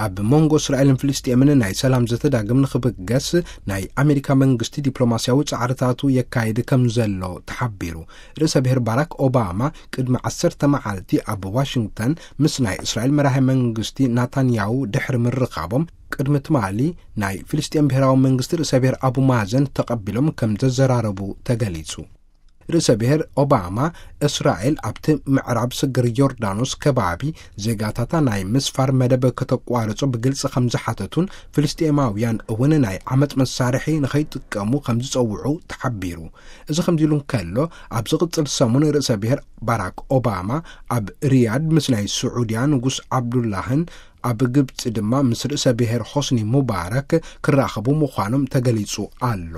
ኣብ መንጎ እስራኤልን ፍልስጤምን ናይ ሰላም ዘተዳግም ንኽብገስ ናይ ኣሜሪካ መንግስቲ ዲፕሎማስያዊ ጻዕርታቱ የካይድ ከም ዘሎ ተሓቢሩ። ርእሰ ብሔር ባራክ ኦባማ ቅድሚ ዓሰርተ መዓልቲ ኣብ ዋሽንግተን ምስ ናይ እስራኤል መራሒ መንግስቲ ናታንያሁ ድሕሪ ምርኻቦም፣ ቅድሚ ትማሊ ናይ ፍልስጤም ብሔራዊ መንግስቲ ርእሰ ብሔር ኣቡ ማዘን ተቐቢሎም ከም ዘዘራረቡ ተገሊጹ። ርእሰ ብሔር ኦባማ፣ እስራኤል ኣብቲ ምዕራብ ስግር ዮርዳኖስ ከባቢ ዜጋታታ ናይ ምስፋር መደብ ከተቋርጾ ብግልጺ ከም ዝሓተቱን ፍልስጤማውያን እውን ናይ ዓመጽ መሳርሒ ንኸይጥቀሙ ከም ዝጸውዑ ተሓቢሩ። እዚ ከምዚ ኢሉ እንከሎ፣ ኣብ ዝቕጽል ሰሙን ርእሰ ብሔር ባራክ ኦባማ ኣብ ሪያድ ምስ ናይ ስዑድያ ንጉስ ዓብዱላህን ኣብ ግብጺ ድማ ምስ ርእሰ ብሔር ሆስኒ ሙባረክ ክራኸቡ ምዃኖም ተገሊጹ ኣሎ።